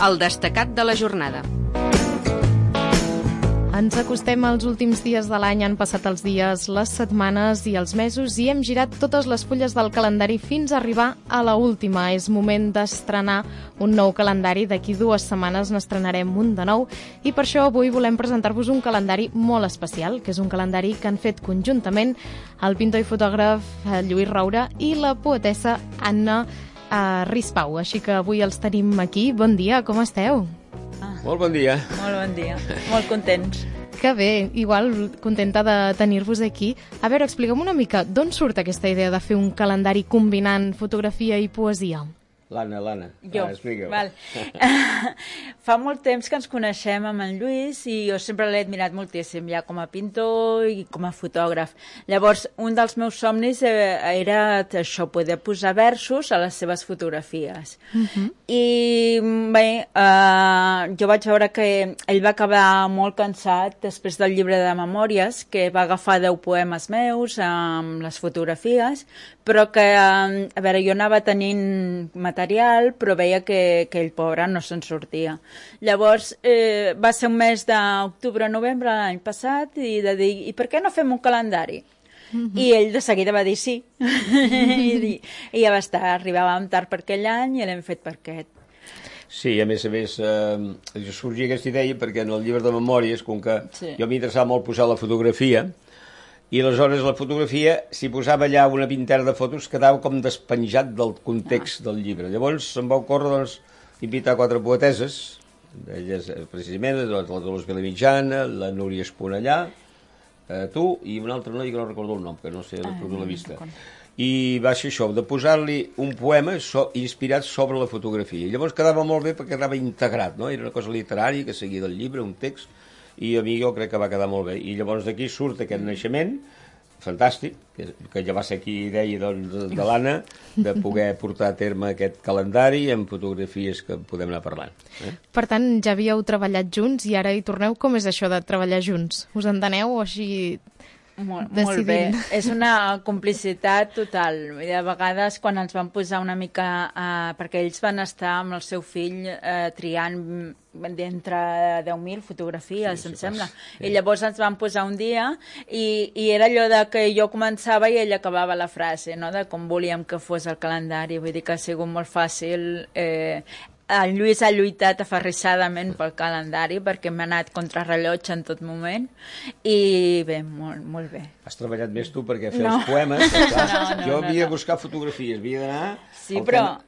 El destacat de la jornada. Ens acostem als últims dies de l'any, han passat els dies, les setmanes i els mesos i hem girat totes les fulles del calendari fins a arribar a la última. És moment d'estrenar un nou calendari. D'aquí 2 setmanes n'estrenarem un de nou i per això avui volem presentar-vos un calendari molt especial, que és un calendari que han fet conjuntament el pintor i fotògraf Lluís Roura i la poetessa Anna Rispau. Així que avui els tenim aquí. Bon dia, com esteu? Molt bon dia. Molt bon dia. Molt contents. Que bé, igual contenta de tenir-vos aquí. A veure, expliquem una mica d'on surt aquesta idea de fer un calendari combinant fotografia i poesia? L'Anna. Jo, val. Fa molt temps que ens coneixem amb en Lluís i jo sempre l'he admirat moltíssim, ja com a pintor i com a fotògraf. Llavors, un dels meus somnis era això, poder posar versos a les seves fotografies. I bé, jo vaig veure que ell va acabar molt cansat després del llibre de memòries, que va agafar 10 poemes meus amb les fotografies, però que, a veure, jo anava tenint material, però veia que ell, pobre, no se'n sortia. Llavors, va ser un mes d'octubre-novembre l'any passat i de dir, i per què no fem un calendari? I ell de seguida va dir sí. I ja va estar, arribàvem tard per aquell any i l'hem fet per aquest. Sí, a més, sorgia aquesta idea perquè en el llibre de memòries, com que jo m'interessava molt posar la fotografia, i aleshores la fotografia, si posava allà una vintena de fotos, quedava com despenjat del context del llibre. Llavors em va ocórrer invitar 4 poeteses, elles precisament, la Dolors Vilamitjana, la Núria Esponellà, tu i un altre noi que no recordo el nom, que no sé, la perdut la vista. I va ser això, de posar-li un poema inspirat sobre la fotografia. I llavors quedava molt bé perquè quedava integrat, no? Era una cosa literària que seguia del llibre, un text, i a mi jo crec que va quedar molt bé. I llavors d'aquí surt aquest naixement fantàstic, que ja va ser aquí idea de l'Anna, de poder portar a terme aquest calendari amb fotografies que podem anar parlant. Per tant, ja havíeu treballat junts i ara hi torneu. Com és això de treballar junts? Us enteneu o així Molt bé, és una complicitat total. De vegades quan ens van posar una mica, perquè ells van estar amb el seu fill triant d'entre 10.000 fotografies, em sembla. I llavors ens van posar un dia i era allò de que jo començava i ell acabava la frase, no? De com volíem que fos el calendari. Vull dir que ha sigut molt fàcil. El Lluís ha lluitat aferrissadament pel calendari perquè m'ha anat contrarrellotge en tot moment i bé, molt bé. Has treballat més tu perquè fer els poemes. Jo havia de buscar fotografies, havia d'anar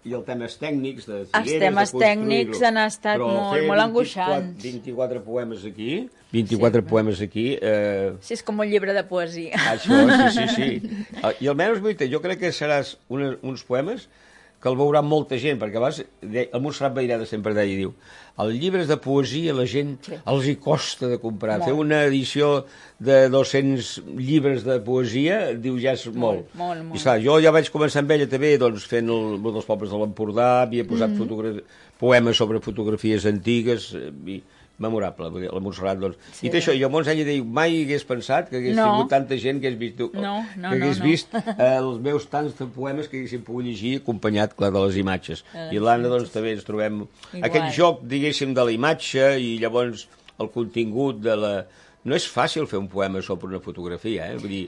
i els temes tècnics de Figueres, els temes tècnics han estat molt angoixants. 24 poemes aquí, 24 poemes aquí. Sí, és com un llibre de poesia. Això, sí. I almenys, jo crec que seràs uns poemes que el veurà molta gent, perquè abans el Montserrat Baireda sempre deia, diu, els llibres de poesia la gent els hi costa de comprar. Fer una edició de 200 llibres de poesia, diu, ja és molt. I clar, jo ja vaig començar amb ella també, doncs, fent dels pobles de l'Empordà, havia posat poemes sobre fotografies antigues, memorable, la Montserrat, doncs. I això, i llavors ella diu, mai hagués pensat que hagués tingut tanta gent que hagués vist els meus tants de poemes que haguéssim pogut llegir acompanyat, clar, de les imatges. I l'Anna, doncs, també ens trobem aquest joc, diguéssim, de la imatge i llavors el contingut de la... No és fàcil fer un poema sobre una fotografia, vull dir...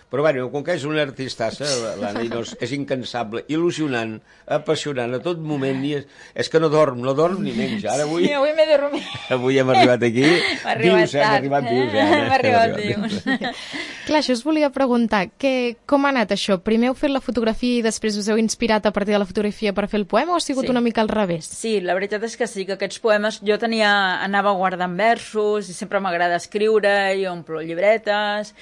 Però, bueno, com que és una artistassa, l'Anna, és incansable, il·lusionant, apassionant a tot moment, és que no dorm ni menja. Ara avui... Sí, avui m'he dormit. Avui hem arribat aquí. Hem arribat vius, Hem arribat vius. Clar, això us volia preguntar, com ha anat això? Primer heu fet la fotografia i després us heu inspirat a partir de la fotografia per fer el poema o ha sigut una mica al revés? Sí, la veritat és que sí, que aquests poemes jo anava guardant versos i sempre m'agrada escriure i omplo llibretes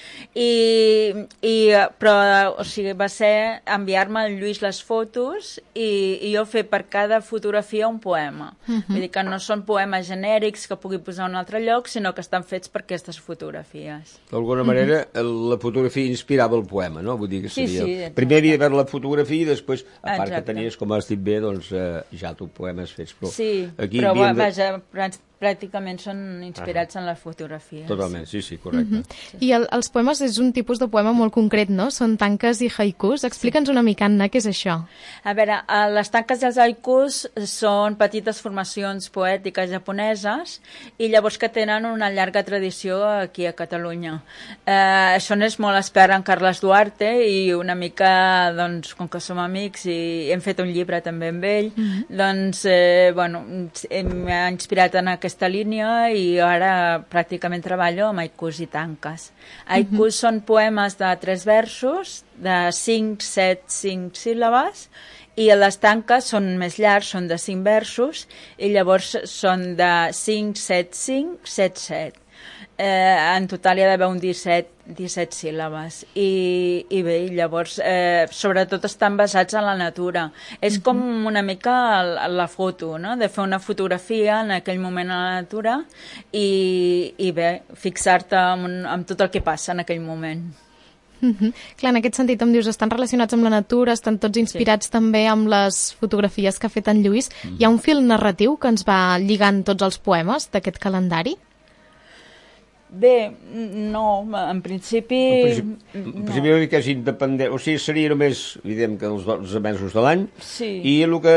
però o sigui, va ser enviar-me al Lluís les fotos i jo fer per cada fotografia un poema. Vull dir que no són poemes genèrics que pugui posar a un altre lloc, sinó que estan fets per aquestes fotografies. D'alguna manera, la fotografia inspirava el poema, no? Vull dir que seria... Primer havia de veure la fotografia i després, a part que tenies, com has dit bé, doncs ja tu poemes fets. Sí, però vaja, pràcticament són inspirats en les fotografies. Totalment, sí, correcte. I els poemes és un tipus de poema molt concret, no? Són tanques i haikus. Explica'ns una mica, Anna, què és això? A veure, les tanques i els haikus són petites formacions poètiques japoneses i llavors que tenen una llarga tradició aquí a Catalunya. Això n'és molt expert en Carles Duarte i una mica, doncs, com que som amics i hem fet un llibre també amb ell, doncs, bueno, m'ha inspirat en aquesta línia i ara pràcticament treballo amb haikus i tanques. Haikus són poemes de 3 versos, de 5, 7, 5 síl·labes, i les tanques són més llargs, són de 5 versos, i llavors són de 5, 7, 5, 7, 7. En total hi ha d'haver un 17 síl·labes i bé, llavors sobretot estan basats en la natura. És com una mica la foto, no? De fer una fotografia en aquell moment a la natura i bé, fixar-te en tot el que passa en aquell moment. Clar, en aquest sentit em dius, estan relacionats amb la natura, estan tots inspirats també amb les fotografies que ha fet en Lluís. Hi ha un fil narratiu que ens va lligant tots els poemes d'aquest calendari? Bé, no, en principi... En principi no. Que és independent, o sigui, seria només, diguem que els 12 mesos de l'any, i el que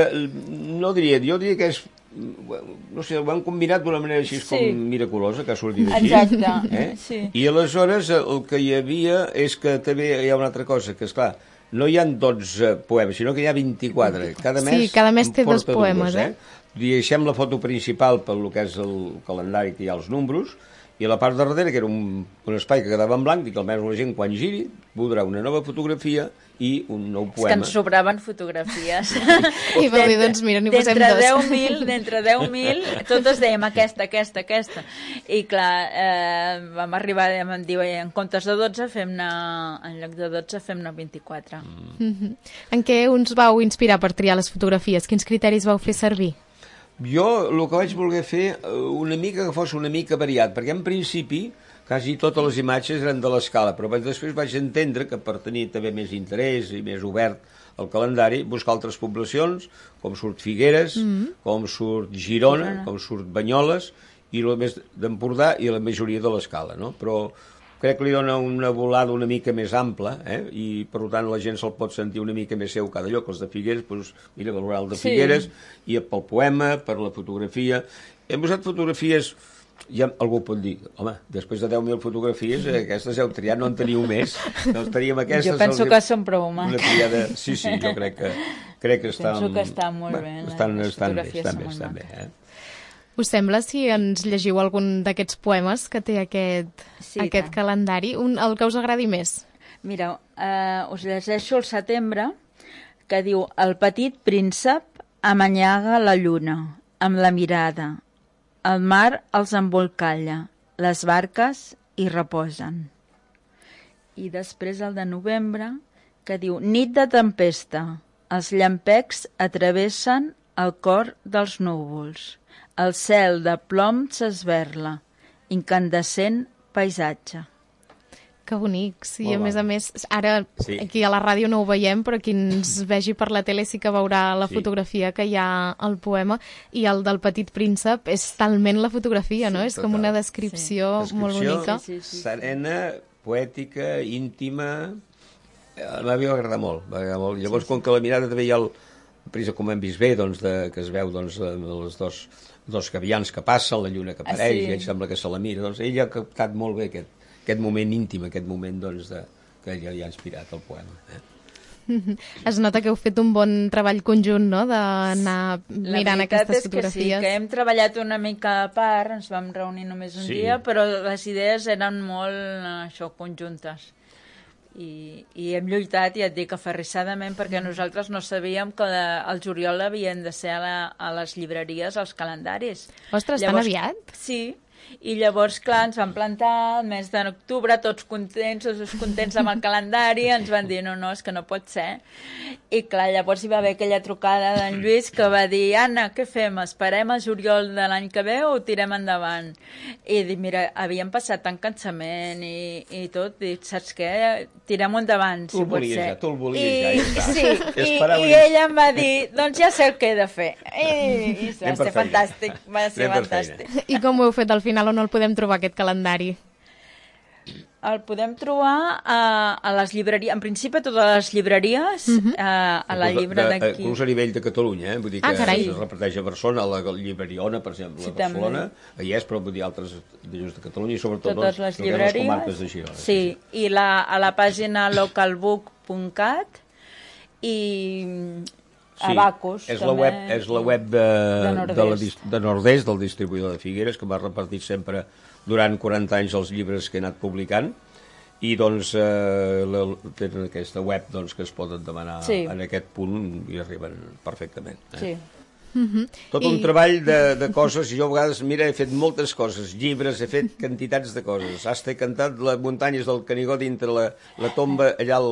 no diria, jo diria que és, no sé, ho han combinat d'una manera així com miraculosa, que ha sortit així. Exacte, sí. I aleshores el que hi havia és que també hi ha una altra cosa, que és clar, no hi ha 12 poemes, sinó que hi ha 24. Cada mes té 2 poemes, Deixem la foto principal pel que és el calendari, que hi ha els números, i a la part de darrere, que era un espai que quedava en blanc, i que almenys la gent, quan giri, voldrà una nova fotografia i un nou poema. És que ens sobraven fotografies. I va dir, doncs mira, n'hi posem 2. D'entre 10.000, totes dèiem aquesta. I clar, vam arribar, vam dir, en comptes de 12, en lloc de 12, fem-ne 24. En què us vau inspirar per triar les fotografies? Quins criteris vau fer servir? Jo el que vaig voler fer una mica que fos una mica variat, perquè en principi quasi totes les imatges eren de l'escala, però després vaig entendre que per tenir també més interès i més obert el calendari, buscar altres poblacions, com surt Figueres, com surt Girona, com surt Banyoles, i el més d'Empordà i la majoria de l'escala, no? Però crec que li dona una volada una mica més ampla, i per tant la gent se'l pot sentir una mica més seu cada lloc. Els de Figueres, doncs, mira, valorar el de Figueres, i pel poema, per la fotografia. Hem usat fotografies, ja algú pot dir, home, després de 10.000 fotografies, aquestes heu triat, no en teniu més. Doncs teníem aquestes... Jo penso que són prou maques. Sí, jo crec que estan... Penso que estan molt bé. Estan bé. Us sembla si ens llegiu algun d'aquests poemes que té aquest calendari? El que us agradi més? Mira, us llegeixo el setembre, que diu: el petit príncep amanyaga la lluna amb la mirada, el mar els embolcalla, les barques hi reposen. I després el de novembre, que diu: nit de tempesta, els llampecs atravessen el cor dels núvols. El cel de plom s'esberla, incandescent paisatge. Que bonics. I a més, ara aquí a la ràdio no ho veiem, però qui ens vegi per la tele sí que veurà la fotografia que hi ha al poema, i el del Petit Príncep és talment la fotografia, no? És com una descripció molt bonica. Serena, poètica, íntima. A mi va agradar molt. Llavors, com que la mirada també hi ha com hem vist bé, que es veu els dos gavians que passen, la lluna que apareix, i ell sembla que se la mira. Doncs ell ha captat molt bé aquest moment íntim, aquest moment que ell li ha inspirat el poema. Es nota que heu fet un bon treball conjunt, no?, d'anar mirant aquestes fotografies. La veritat és que sí, que hem treballat una mica a part, ens vam reunir només un dia, però les idees eren molt conjuntes. I hem lluitat, ja et dic, aferrissadament, perquè nosaltres no sabíem que el juliol havien de ser a les llibreries els calendaris. Ostres, tan aviat? Sí, I llavors, clar, ens van plantar el mes d'octubre, tots contents amb el calendari, ens van dir, no, és que no pot ser. I clar, llavors hi va haver aquella trucada d'en Lluís que va dir, Anna, què fem? Esperem a juliol de l'any que ve o ho tirem endavant? I dic, mira, havíem passat tant cansament i tot, dic, saps què? Tirem-ho endavant, si pot ser. Tu el volies ja, sí, i ella em va dir, doncs ja sé el que he de fer. I va ser fantàstic, va ser fantàstic. I com ho heu fet al final, on el podem trobar, aquest calendari? El podem trobar a les llibreries, en principi a totes les llibreries, a la llibre d'aquí. Inclús a nivell de Catalunya, vull dir que es reparteix a Barcelona, a la llibreriona, per exemple, a Barcelona, hi és, però vull dir altres de Catalunya i sobretot totes les llibreries, comarques de Girona. Sí, i a la pàgina localbook.cat i Abacus. És la web de Nordest, del distribuïdor de Figueres, que m'ha repartit sempre durant 40 anys els llibres que he anat publicant, i doncs tenen aquesta web que es poden demanar en aquest punt i arriben perfectament. Sí. Tot un treball de coses. Jo a vegades, mira, he fet moltes coses, llibres, he fet quantitats de coses. Hasta he cantat les muntanyes del Canigó dintre la tomba allà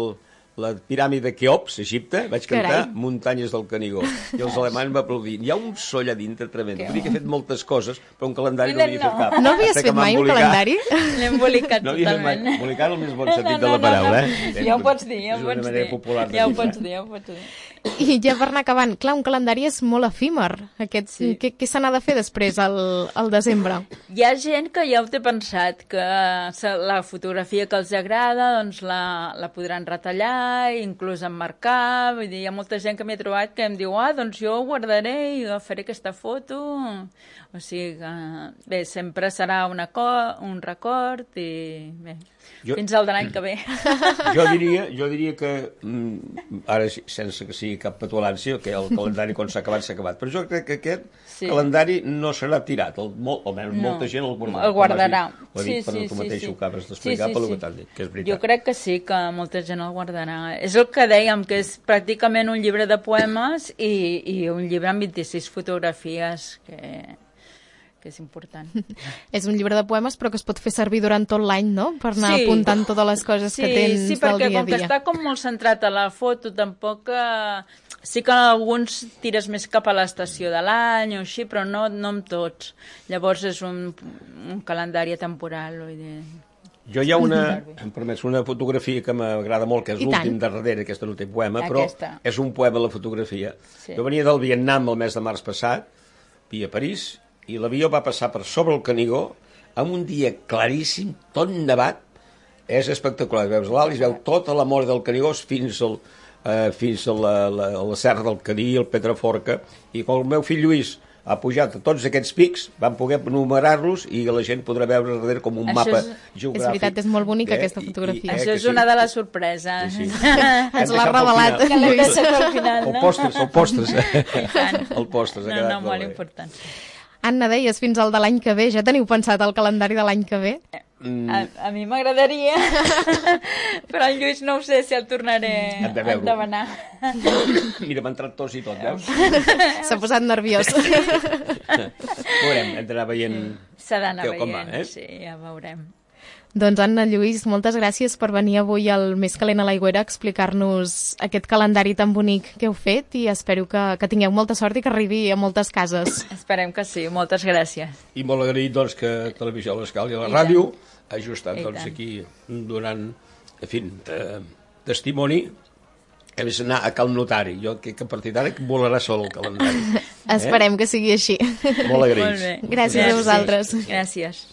la piràmide de Keops, Egipte, vaig cantar Muntanyes del Canigó. I els alemanys m'aplaudien. Hi ha un so allà dintre tremend. Vull dir que he fet moltes coses, però un calendari no havia fet cap. No havies fet mai un calendari? L'he embolicat totalment. Embolicat el més bon sentit de la paraula, Ja ho pots dir, ja ho pots dir. Ja ho pots dir. I ja per anar acabant, clar, un calendari és molt efímer. Què se n'ha de fer després, al desembre? Hi ha gent que ja ho té pensat, que la fotografia que els agrada doncs la podran retallar, inclús emmarcar. Vull dir, hi ha molta gent que m'he trobat que em diu, doncs jo ho guardaré i agafaré aquesta foto. O sigui que, bé, sempre serà un record i bé, fins al de l'any que ve. Jo diria que, ara sense que sigui cap petulància, que el calendari quan s'ha acabat, però jo crec que aquest calendari no serà tirat, almenys molta gent el guardarà. Ho he dit per tu mateix, ho acabes d'explicar pel que t'han dit, que és veritat. Jo crec que sí, que molta gent el guardarà. És el que dèiem, que és pràcticament un llibre de poemes i un llibre amb 26 fotografies, que és important. És un llibre de poemes, però que es pot fer servir durant tot l'any, no? Per anar apuntant totes les coses que tens del dia a dia. Sí, perquè com que està com molt centrat a la foto, tampoc... Sí que alguns tires més cap a l'estació de l'any o així, però no amb tots. Llavors és un calendari temporal. Jo hi ha em permets, una fotografia que m'agrada molt, que és l'últim de darrere, aquesta no té poema, però és un poema la fotografia. Jo venia del Vietnam el mes de març passat, via París, i l'avió va passar per sobre el Canigó amb un dia claríssim, tot nevat. És espectacular, veus l'alt i es veu tota la mort del Canigó fins a la serra del Cadí, el Pedraforca, i quan el meu fill Lluís ha pujat a tots aquests pics, van poder numerar-los i la gent podrà veure darrere com un mapa geogràfic. És veritat, és molt bonica aquesta fotografia. Això és una de les sorpreses. Ens l'ha revelat. Que l'hem deixat al final, no? El postres. El postres. No, molt important. Anna, deies fins al de l'any que ve. Ja teniu pensat el calendari de l'any que ve? A mi m'agradaria, però el Lluís no ho sé si el tornaré a demanar. Mira, m'ha entrat tos i tot, veus? S'ha posat nerviós. Veurem, hem d'anar veient... S'ha d'anar veient, sí, ja veurem. Doncs Anna, Lluís, moltes gràcies per venir avui al Més calent a l'Aigüera a explicar-nos aquest calendari tan bonic que heu fet i espero que tingueu molta sort i que arribi a moltes cases. Esperem que sí, moltes gràcies. I molt agraït doncs, que Televisió a l'Escala i la ràdio hagi estat aquí donant, en fi, testimoni. Hem d'anar a cal notari. Jo que a partir d'ara volarà sol el calendari. Esperem que sigui així. Molt agraïts. Gràcies a vosaltres. Gràcies.